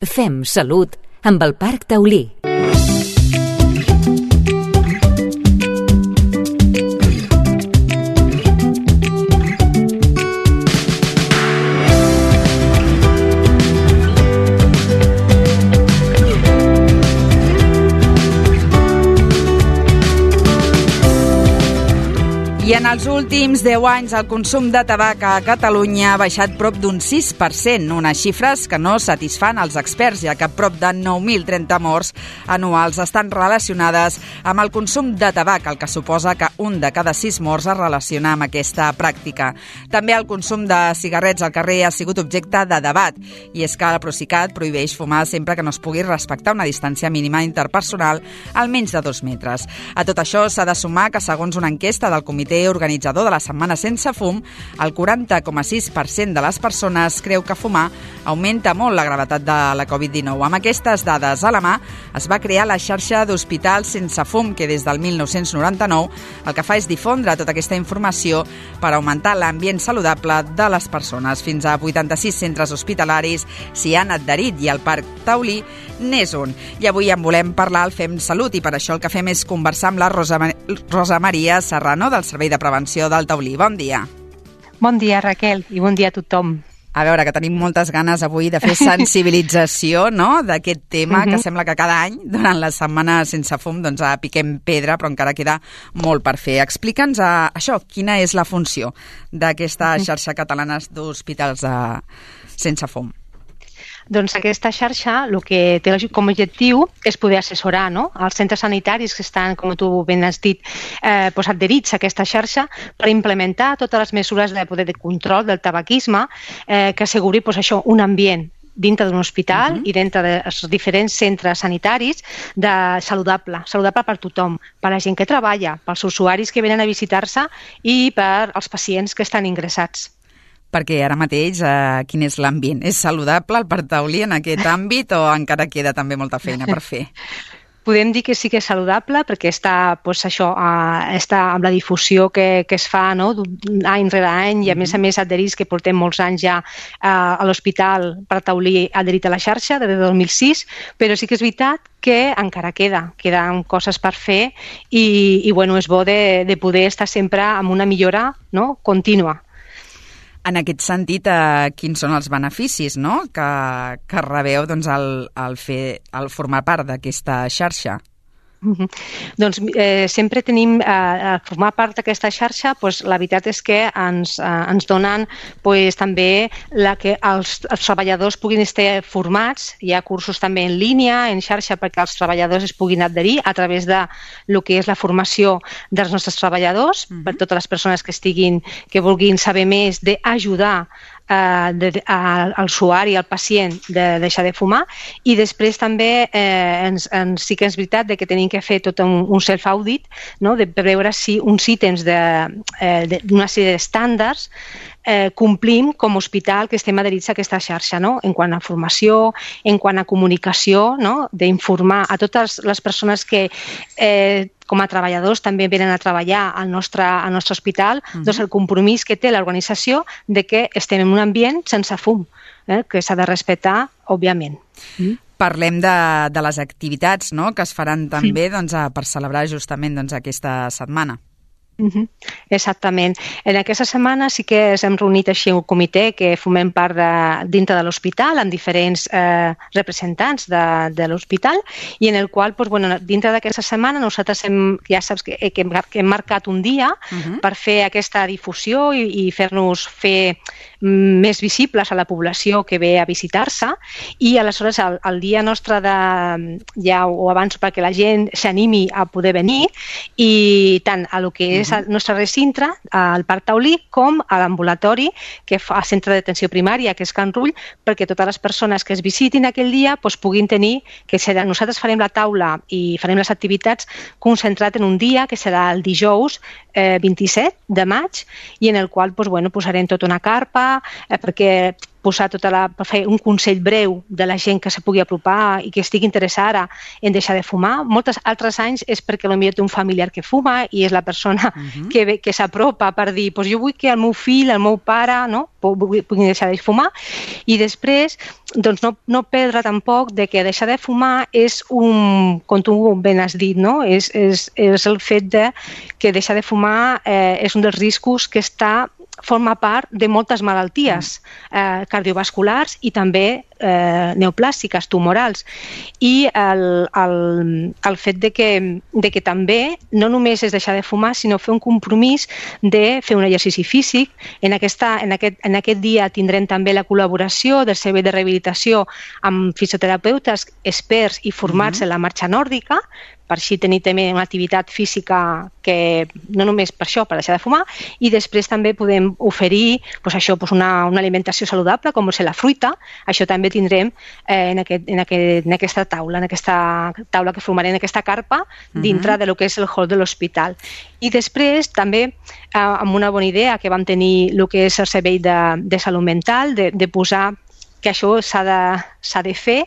Fem salut amb el Parc Taulí. I en els últims 10 anys el consum de tabac a Catalunya ha baixat prop d'un 6%, unes xifres que no satisfan els experts, ja que prop de 9.030 morts anuals estan relacionades amb el consum de tabac, el que suposa que un de cada 6 morts es relaciona amb aquesta pràctica. També el consum de cigarrets al carrer ha sigut objecte de debat, i és que el Procicat prohibeix fumar sempre que no es pugui respectar una distància mínima interpersonal almenys de 2 metres. A tot això s'ha de sumar que, segons una enquesta del Comitè organitzador de la Setmana Sense Fum, el 40,6% de les persones creu que fumar augmenta molt la gravetat de la Covid-19. Amb aquestes dades a la mà, es va crear la xarxa d'hospitals sense fum, que des del 1999 el que fa és difondre tota aquesta informació per augmentar l'ambient saludable de les persones. Fins a 86 centres hospitalaris s'hi han adherit i el Parc Taulí n'és un. I avui en volem parlar al Fem Salut, i per això el que fem és conversar amb la Rosa Maria Serrano del Servei de Prevenció del Taulí. Bon dia. Bon dia, Raquel, i bon dia a tothom. A veure, que tenim moltes ganes avui de fer sensibilització, no?, d'aquest tema, que sembla que cada any, durant la Setmana Sense Fum, doncs piquem pedra, però encara queda molt per fer. Explica'ns això, quina és la funció d'aquesta xarxa catalana d'hospitals sense fum. Doncs aquesta xarxa el que té com a objectiu és poder assessorar, no?, els centres sanitaris que estan, com tu ben has dit, adherits a aquesta xarxa per implementar totes les mesures de control del tabaquisme que asseguri un ambient dintre d'un hospital i dintre dels diferents centres sanitaris saludable per tothom, per la gent que treballa, pels usuaris que venen a visitar-se i per als pacients que estan ingressats. Perquè ara mateix, quin és l'ambient? És saludable el Parc Taulí en aquest àmbit o encara queda també molta feina per fer? Podem dir que sí que és saludable perquè està amb la difusió que es fa, no?, any rere any, i a més adherits que portem molts anys ja a l'Hospital Parc Taulí adherit a la xarxa des de 2006, però sí que és veritat que encara queden coses per fer i és bo de poder estar sempre amb una millora, no?, contínua. En aquest sentit, quins són els beneficis, no?, que rebeu al formar part d'aquesta xarxa? Doncs sempre tenim, a formar part d'aquesta xarxa, la veritat és que ens donen també que els treballadors puguin estar formats. Hi ha cursos també en línia, en xarxa, perquè els treballadors es puguin adherir a través de lo que és la formació dels nostres treballadors, per totes les persones que vulguin saber més d'ajudar a l'usuari, al pacient, de deixar de fumar. I després també sí que és veritat que tenim que fer tot un self-audit, no?, de veure si uns ítems d'una sèrie d'estàndards complim com a hospital que estem adherits a aquesta xarxa, no?, en quant a formació, en quant a comunicació, no?, d'informar a totes les persones que com a treballadors també venen a treballar al nostre hospital, doncs el compromís que té l'organització de que estem en un ambient sense fum, que s'ha de respectar, òbviament. Parlem de les activitats, no?, que es faran també per celebrar justament aquesta setmana. Exactament. En aquesta setmana sí que ens hem reunit així un comitè que formem part dintre de l'hospital amb diferents representants de l'hospital, i en el qual dintre d'aquesta setmana nosaltres ja saps que hem marcat un dia per fer aquesta difusió i fer-nos més visibles a la població que ve a visitar-se, i aleshores el dia nostre ja ho avanço perquè la gent s'animi a poder venir, i tant a lo que és el nostre recinte, al Parc Taulí, com a l'ambulatori que fa el centre d'atenció primària, que és Can Rull, perquè totes les persones que es visitin aquell dia puguin tenir, nosaltres farem la taula i farem les activitats concentrat en un dia que serà el dijous 27 de maig, i en el qual posarem tota una carpa perquè fer un consell breu de la gent que se pugui apropar i que estigui interessada en deixar de fumar. Molts altres anys és perquè potser té un familiar que fuma i és la persona que s'apropa per dir jo vull que el meu fill, el meu pare, puguin deixar de fumar. I després, doncs, no perdre tampoc de que deixar de fumar és com tu ben has dit, és el fet que deixar de fumar és un dels riscos que forma part de moltes malalties cardiovasculars i també neoplàstiques, tumorals. I el fet de que també no només és deixar de fumar, sinó fer un compromís de fer un exercici físic. En aquest dia tindrem també la col·laboració del Servei de Rehabilitació amb fisioterapeutes experts i formats en la marxa nòrdica, per així tenir també una activitat física que no només per això, per deixar de fumar, i després també podem oferir una alimentació saludable, com és la fruita. Això també tindrem en aquesta taula que formarem, en aquesta carpa, dintre del que és el hall de l'hospital. I després també, amb una bona idea que vam tenir el que és el Servei de Salut Mental, de posar que això s'ha de fer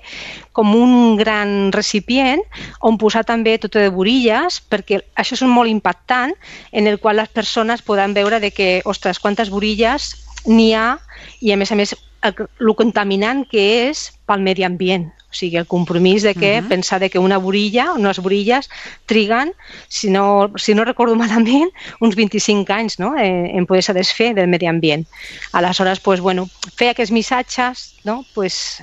com un gran recipient on posar també tot de borilles, perquè això és molt impactant, en el qual les persones poden veure que, ostres, quantes borilles n'hi ha i, a més, el contaminant que és pel medi ambient. O sigui, el compromís de pensar que unes borilles triguen, si no recordo malament, uns 25 anys en poder-se desfer del medi ambient. Aleshores, fer aquests missatges,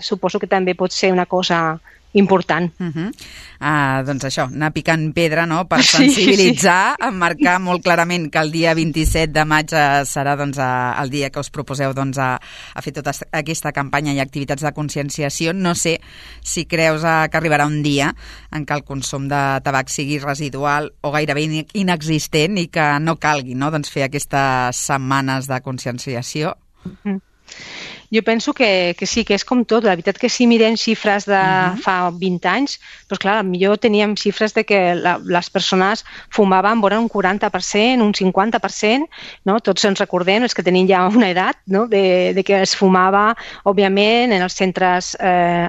suposo que també pot ser una cosa important. Doncs això, anar picant pedra per sensibilitzar, marcar molt clarament que el dia 27 de maig serà el dia que us proposeu a fer tota aquesta campanya i activitats de conscienciació. No sé si creus que arribarà un dia en què el consum de tabac sigui residual o gairebé inexistent i que no calgui fer aquestes setmanes de conscienciació. Jo penso que sí, que és com tot. La veritat que si mirem xifres de fa 20 anys, doncs clar, millor teníem xifres de que les persones fumaven vora un 40%, un 50%, tots ens recordem, els que tenim ja una edat, de que es fumava, òbviament, en els centres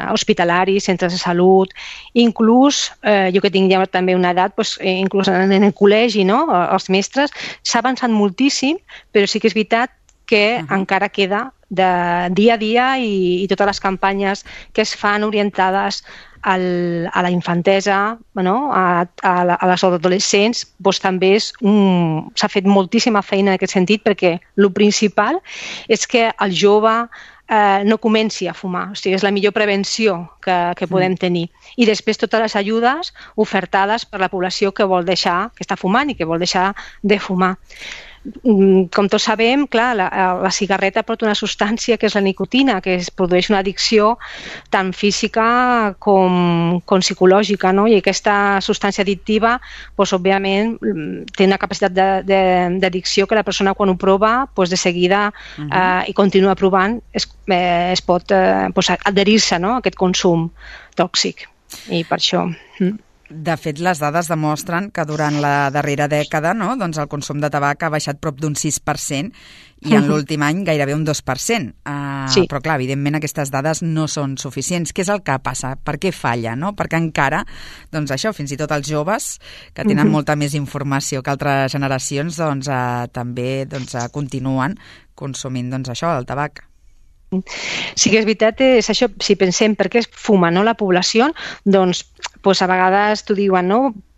hospitalaris, centres de salut, inclús, jo que tinc ja també una edat, inclús en el col·legi, els mestres, s'ha avançat moltíssim, però sí que és veritat que encara queda de dia a dia i totes les campanyes que es fan orientades a la infantesa, a les adolescents, també s'ha fet moltíssima feina en aquest sentit, perquè el principal és que el jove no comenci a fumar. O sigui, és la millor prevenció que podem tenir. I després totes les ajudes ofertades per la població que està fumant i que vol deixar de fumar. Com tots sabem, clar, la cigarreta porta una substància que és la nicotina, que es produeix una addicció tant física com psicològica, i aquesta substància addictiva, òbviament, té una capacitat d'addicció que la persona quan ho prova, de seguida i continua provant, es pot adherir-se a aquest consum tòxic. I per això... De fet, les dades demostren que durant la darrera dècada el consum de tabac ha baixat prop d'un 6% i en l'últim any gairebé un 2%. Però, clar, evidentment aquestes dades no són suficients. Què és el que passa? Per què falla? Perquè encara, fins i tot els joves, que tenen molta més informació que altres generacions, també continuen consumint el tabac. Sí que és veritat, és això, si pensem per què es fuma la població, doncs a vegades t'ho diuen,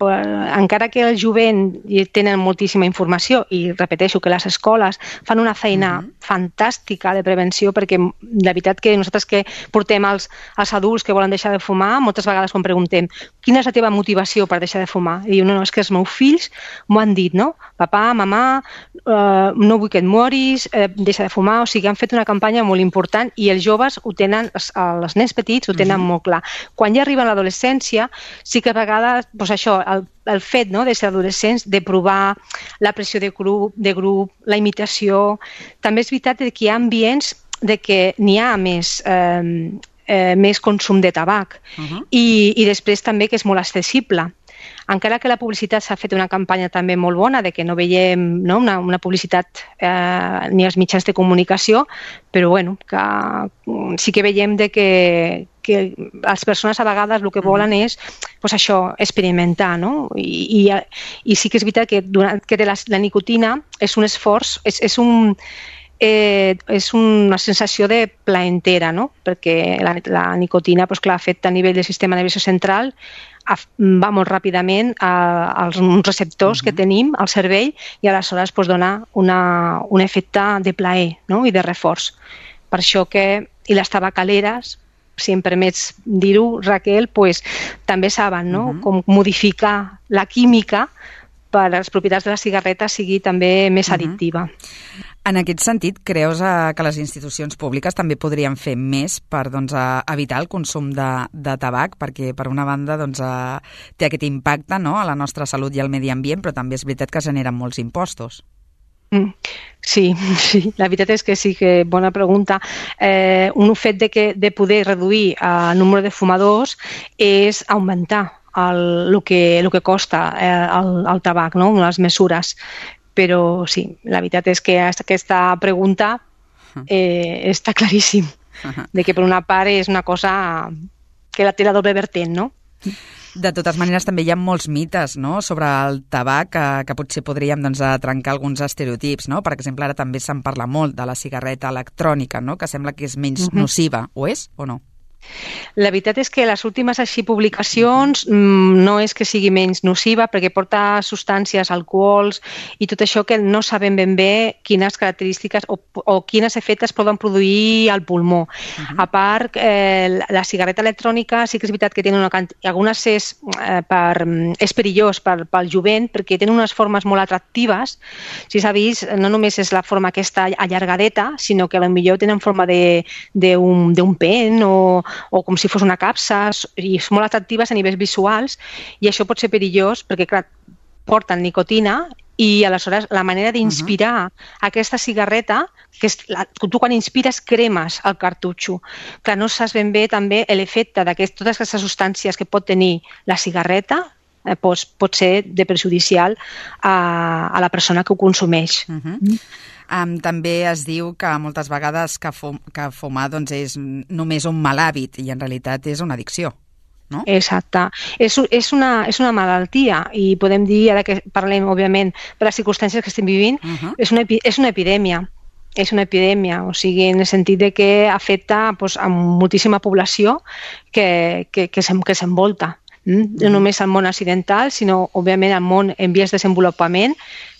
encara que el jovent tenen moltíssima informació i repeteixo que les escoles fan una feina fantàstica de prevenció, perquè la veritat que nosaltres que portem els adults que volen deixar de fumar, moltes vegades quan preguntem quina és la teva motivació per deixar de fumar, i diu, no, és que els meus fills m'ho han dit, papà, mamà, no vull que et moris, deixa de fumar. O sigui, han fet una campanya molt important i els joves ho tenen, els nens petits ho tenen molt clar. Quan ja arriben a l'adolescència, sí que a vegades, això, el fet de ser adolescents, de provar la pressió de grup, la imitació. També és veritat que hi ha ambients de que n'hi ha més consum de tabac i després també que és molt accessible. encara que la publicitat s'ha fet una campanya també molt bona de que no veiem una publicitat ni als mitjans de comunicació, però bueno, que sí que veiem de que les persones a vegades el que volen és pues això, experimentar, no? I sí que és veritat que la nicotina és un esforç, és una sensació de plaentera, no? Perquè la nicotina, pues, clar, afecta a nivell del sistema nerviós central, va molt ràpidament als receptors que tenim al cervell i aleshores pues, dona un efecte de plaer, no? I de reforç. Per això que, i les tabacaleres, si em permets dir-ho, Raquel, pues, també saben, no? Com modificar la química per a les propietats de la cigarreta sigui també més addictiva. En aquest sentit, creus que les institucions públiques també podrien fer més per evitar el consum de tabac? Perquè, per una banda, té aquest impacte, no?, a la nostra salut i al medi ambient, però també és veritat que generen molts impostos. Sí, la veritat és que sí, que bona pregunta. Un fet de poder reduir el nombre de fumadors és augmentar el que costa el tabac, no?, les mesures. Però sí, la veritat és que aquesta pregunta està claríssim, de que per una part és una cosa que té la doble vertent, no? De totes maneres, també hi ha molts mites, no?, sobre el tabac que potser podríem trencar alguns estereotips, no? Per exemple, ara també se'n parla molt de la cigarreta electrònica, no?, que sembla que és menys nociva. Ho és o no? La veritat és que les últimes publicacions no és que sigui menys nociva perquè porta substàncies, alcohols i tot això que no sabem ben bé quines característiques o quines efectes poden produir al pulmó. A part, la cigarreta electrònica sí que és veritat que té algunes és perillós pel jovent perquè tenen unes formes molt atractives. Si s'ha vist, no només és la forma aquesta allargadeta, sinó que potser tenen forma d'un pen o com si fos una capsa, i són molt atractives a nivells visuals, i això pot ser perillós perquè, clar, porten nicotina i aleshores la manera d'inspirar aquesta cigarreta, que és tu quan inspires cremes el cartutxo. Clar, no saps ben bé també l'efecte de totes aquestes substàncies que pot tenir la cigarreta, pot ser de perjudicial a la persona que ho consumeix. També es diu que moltes vegades que fumar és només un mal hàbit i en realitat és una addicció, no? Exacte. És una malaltia i podem dir, ara que parlem, òbviament, per les circumstàncies que estem vivint, és una epidèmia. És una epidèmia, o sigui, en el sentit de que afecta a moltíssima població que s'envolta. No només al món occidental, sinó, òbviament, al món en vies de desenvolupament.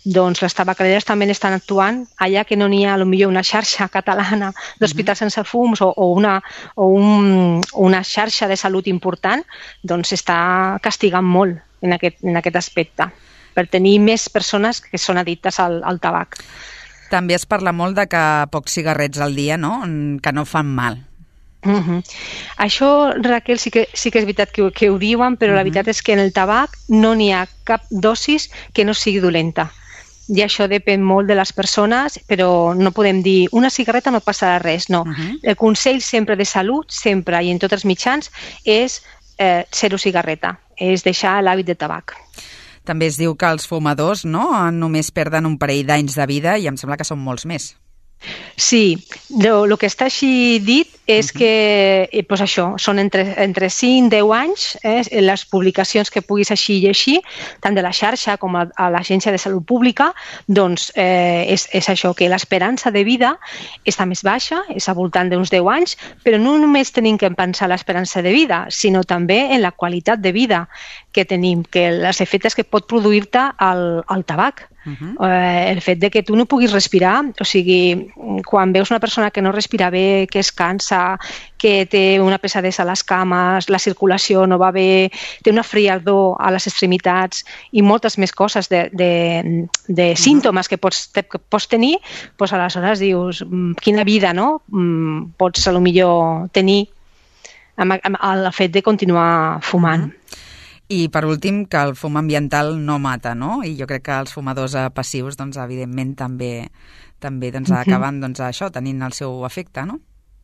Doncs les tabacaleres també estan actuant allà que no n'hi ha potser una xarxa catalana d'hospitals sense fums o una xarxa de salut important, doncs està castigant molt en aquest aspecte per tenir més persones que són addictes al tabac. També es parla molt de que pocs cigarrets al dia, no?, que no fan mal. Això, Raquel, sí que és veritat que ho diuen, però la veritat és que en el tabac no n'hi ha cap dosis que no sigui dolenta. I això depèn molt de les persones, però no podem dir una cigarreta no passarà res, no. El consell sempre de salut, sempre i en tots els mitjans, és zero cigarreta, és deixar l'hàbit de tabac. També es diu que els fumadors només perden un parell d'anys de vida i em sembla que són molts més. Sí, el que està així dit és que això, són entre 5 i 10 anys, les publicacions que puguis així llegir, tant de la xarxa com a l'Agència de Salut Pública, doncs és això, que l'esperança de vida està més baixa, és al voltant d'uns 10 anys, però no només tenim que pensar en l'esperança de vida, sinó també en la qualitat de vida que tenim, que els efectes que pot produir-te el tabac. El fet de que tu no puguis respirar, o sigui, quan veus una persona que no respira bé, que es cansa, que té una pesadesa a les cames, la circulació no va bé, té una frialdor a les extremitats i moltes més coses de símptomes que pots tenir, doncs aleshores dius, quina vida pots potser tenir amb el fet de continuar fumant. I, per últim, que el fum ambiental no mata, no? I jo crec que els fumadors passius, evidentment, també acaben això, tenint el seu efecte, no?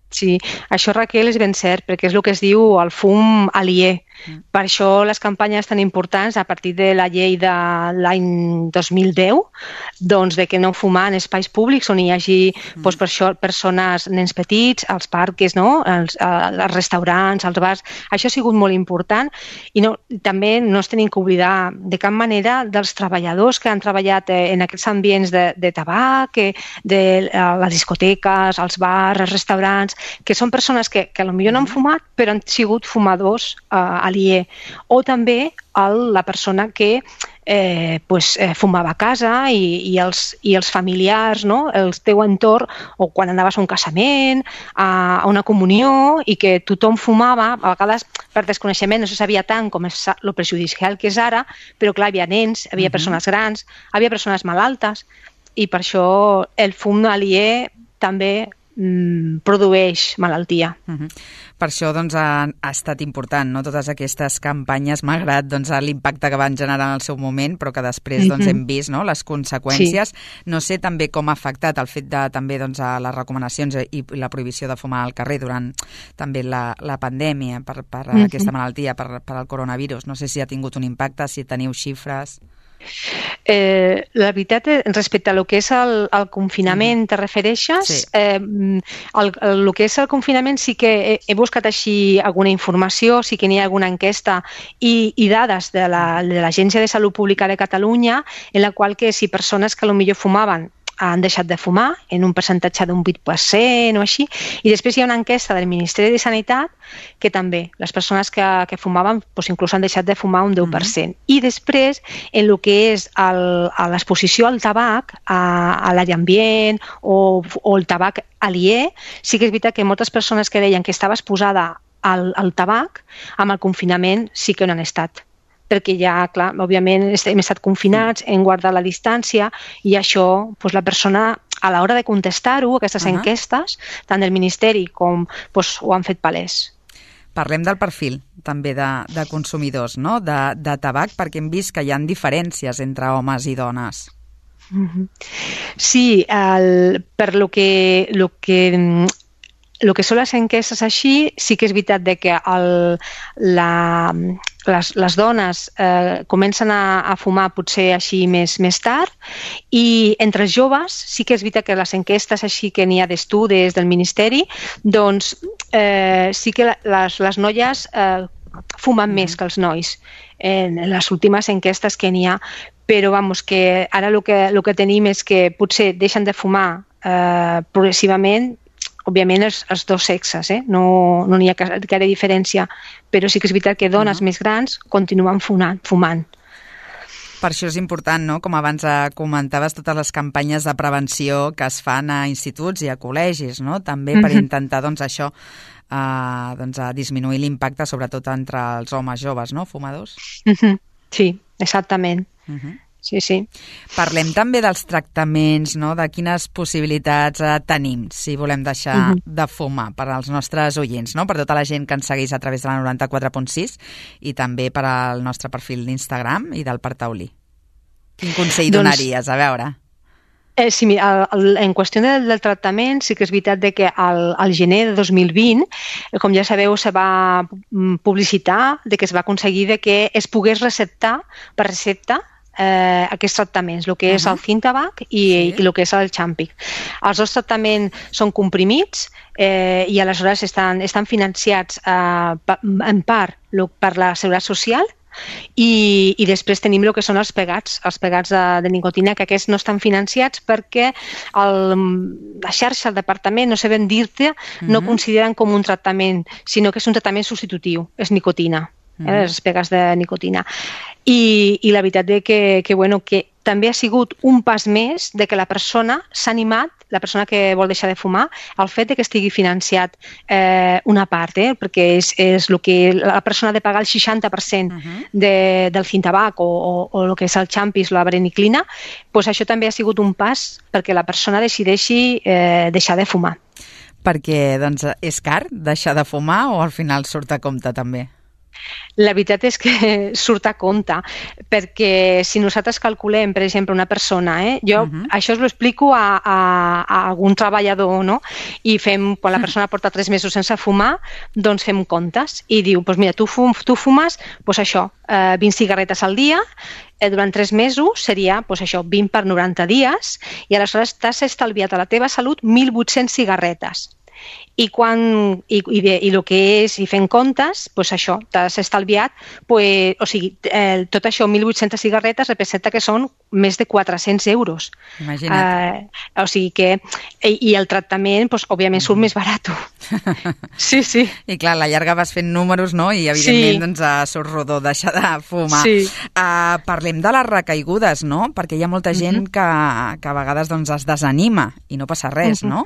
Sí, això, Raquel, és ben cert, perquè és el que es diu el fum aliè. Per això les campanyes tan importants, a partir de la llei de l'any 2010, doncs de que no fumar en espais públics on hi hagi per això persones, nens petits, als parcs, no? als restaurants, als bars. Això ha sigut molt important i també no es tenim que oblidar de cap manera dels treballadors que han treballat en aquests ambients de tabac, de les discoteques, els bars, els restaurants, que són persones que potser no han fumat, però han sigut fumadors aliè. O també la persona que fumava a casa i els familiars, no? El teu entorn, o quan anaves a un casament, a una comunió, i que tothom fumava, a vegades per desconeixement no se sabia tant com és lo perjudicial que és ara, però clar, hi havia nens, hi havia persones grans, hi havia persones malaltes, i per això el fum aliè també produeix malaltia. Per això doncs, ha estat important, no? Totes aquestes campanyes, malgrat l'impacte que van generar en el seu moment, però que després hem vist, no? Les conseqüències. Sí. No sé també com ha afectat el fet de també les recomanacions i la prohibició de fumar al carrer durant també la pandèmia per aquesta malaltia, per el coronavirus. No sé si ha tingut un impacte, si teniu xifres. La veritat, respecte a lo que és el confinament, te refereixes? Sí. El que és el confinament sí que he buscat així alguna informació, sí que n'hi ha alguna enquesta i dades de l'Agència de Salut Pública de Catalunya, en la qual que si persones que potser fumaven han deixat de fumar en un percentatge d'un 8% o així, i després hi ha una enquesta del Ministeri de Sanitat que també les persones que fumaven inclús han deixat de fumar un 10%. I després, en el que és l'exposició al tabac, a l'àrea ambient o el tabac aliè, sí que és veritat que moltes persones que deien que estava exposada al tabac, amb el confinament sí que no han estat, perquè ja, clar, òbviament hem estat confinats, hem guardat la distància i això, la persona, a l'hora de contestar-ho, aquestes enquestes, tant del Ministeri com ho han fet palès. Parlem del perfil, també, de consumidors, no? De tabac, perquè hem vist que hi ha diferències entre homes i dones. Sí, per lo que són les enquestes així, sí que és veritat que les dones comencen a fumar potser així més tard, i entre els joves sí que és veritat que les enquestes així que n'hi ha d'estudis del Ministeri, doncs sí que les noies fumen més que els nois en les últimes enquestes que n'hi ha, però que ara el que tenim és que potser deixen de fumar progressivament, òbviament els dos sexes, no n'hi ha gaire diferència, però sí que és veritat que dones més grans continuen fumant. Per això és important, no? Com abans comentaves, totes les campanyes de prevenció que es fan a instituts i a col·legis, no? També per intentar això, disminuir l'impacte, sobretot entre els homes joves, no? Fumadors. Sí, exactament. Sí. Parlem també dels tractaments, no? De quines possibilitats tenim si volem deixar de fumar per als nostres oients, no? Per tota la gent que ens segueix a través de la 94.6 i també per al nostre perfil d'Instagram i del Parc Taulí. Quin consell donaries? A veure. Sí, en qüestió del tractament, sí que és veritat que al gener de 2020, com ja sabeu, se va publicitar que es va aconseguir que es pogués receptar per recepta aquests tractaments, el que és el Cintabac i el que és el Champic. Els dos tractaments són comprimits i aleshores estan financiats en part per la Seguretat Social i després tenim el que són els pegats de nicotina, que aquests no estan financiats perquè la xarxa, el departament, no sé ben dir-te, no consideren com un tractament, sinó que és un tractament substitutiu, és nicotina. Les pegats de nicotina. I la veritat que també ha sigut un pas més de que la persona s'ha animat, la persona que vol deixar de fumar, al fet que estigui financiat una part, perquè és el que la persona ha de pagar el 60% del Cintabac o el que és el Champis, la vareniclina, doncs això també ha sigut un pas perquè la persona decideixi deixar de fumar. Perquè és car deixar de fumar o al final surt a compte també? La veritat és que surt a compte, perquè si nosaltres calculem, per exemple, una persona, jo això us ho explico a algun treballador, no? I quan la persona porta 3 mesos sense fumar, doncs fem comptes i diu, doncs mira, tu fumes, doncs això, 20 cigarretes al dia, durant 3 mesos seria això, 20 per 90 dies, i aleshores t'has estalviat a la teva salut 1.800 cigarretes. I el que és, i fent comptes, doncs això, t'has estalviat, o sigui, tot això, 1.800 cigarretes, representa que són més de 400 euros. Imagina't. O sigui que, i el tractament, òbviament, surt més barat. Sí, sí. I clar, a la llarga vas fent números, no? I evidentment surt rodó deixar de fumar. Sí. Parlem de les recaigudes, no? Perquè hi ha molta gent que a vegades es desanima i no passa res, no?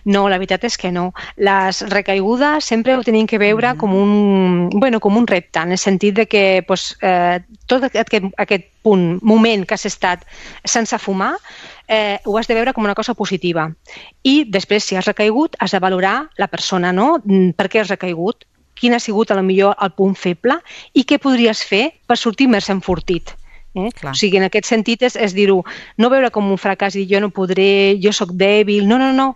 No, la veritat és que no. Les recaigudes sempre ho tenim que veure com un repte, en el sentit de que tot aquest moment que has estat sense fumar ho has de veure com una cosa positiva. I després, si has recaigut, has de valorar la persona, no? Per què has recaigut? Quin ha sigut, potser, el punt feble i què podries fer per sortir més enfortit? O sigui, en aquest sentit és dir-ho, no veure com un fracàs i jo no podré, jo sóc dèbil, no,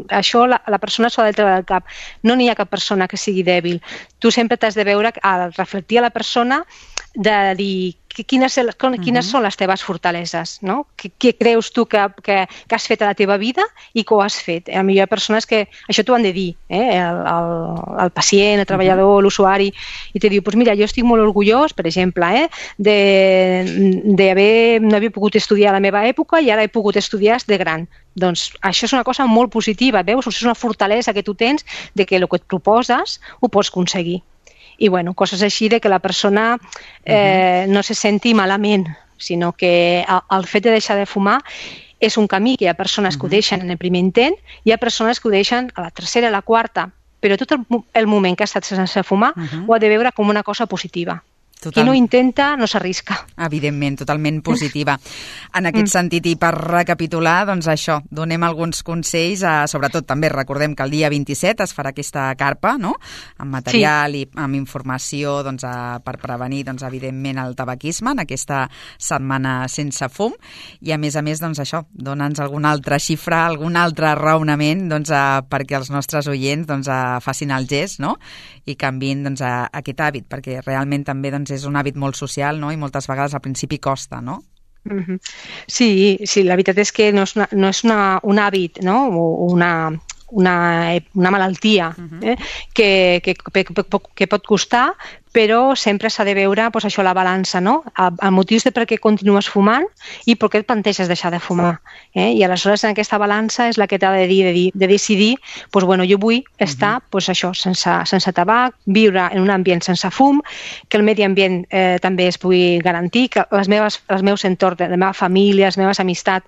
això la persona s'ho ha de treure del cap. No n'hi ha cap persona que sigui dèbil. Tu sempre t'has de veure, al reflectir a la persona, de dir quines són les teves fortaleses, no? Què creus tu que has fet a la teva vida i que ho has fet. Potser hi ha persones que això t'ho han de dir, el pacient, el treballador, l'usuari, i te diu, doncs mira, jo estic molt orgullós, per exemple, no haver pogut estudiar a la meva època i ara he pogut estudiar de gran. Doncs això és una cosa molt positiva, veus? És una fortalesa que tu tens de que el que et proposes ho pots aconseguir. I, coses així de que la persona no se senti malament, sinó que el fet de deixar de fumar és un camí que hi ha persones que ho deixen en el primer intent, hi ha persones que ho deixen a la tercera, a la quarta, però tot el moment que ha estat sense fumar ho ha de veure com una cosa positiva. Qui no intenta no s'arrisca. Evidentment, totalment positiva. En aquest sentit, i per recapitular, doncs això, donem alguns consells, sobretot també recordem que el dia 27 es farà aquesta carpa, no?, amb material i amb informació per prevenir, evidentment, el tabaquisme en aquesta setmana sense fum, i a més, això, dona'ns alguna altra xifra, algun altre raonament perquè els nostres oients facin el gest, no?, i canviïn aquest hàbit, perquè realment també és un hàbit molt social, no?, i moltes vegades al principi costa, no? Sí, la veritat és que no és un hàbit, no?, una malaltia que pot costar, però sempre s'ha de veure això, la balança, no? El motiu de per què continues fumant i per què et planteges deixar de fumar. I aleshores en aquesta balança és la que t'ha de decidir, jo vull estar això, sense tabac, viure en un ambient sense fum, que el medi ambient també es pugui garantir, que els meus entorns, la meva família, les meves amistats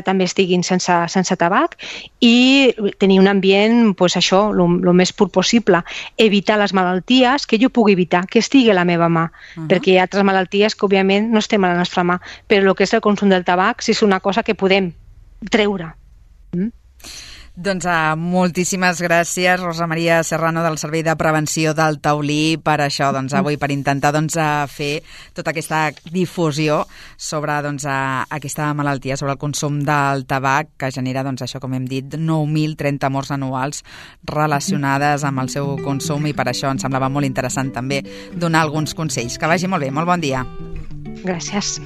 també estiguin sense tabac, i tenir un ambient, això, el més pur possible. Evitar les malalties que jo pugui evitar, que estigui a la meva mà, perquè hi ha altres malalties que, òbviament, no estem a la nostra mà, però el que és el consum del tabac sí és una cosa que podem treure. Doncs moltíssimes gràcies, Rosa Maria Serrano, del Servei de Prevenció del Taulí, per això, avui, per intentar fer tota aquesta difusió sobre aquesta malaltia, sobre el consum del tabac, que genera, això, com hem dit, 9.030 morts anuals relacionades amb el seu consum, i per això ens semblava molt interessant també donar alguns consells. Que vagi molt bé, molt bon dia. Gràcies.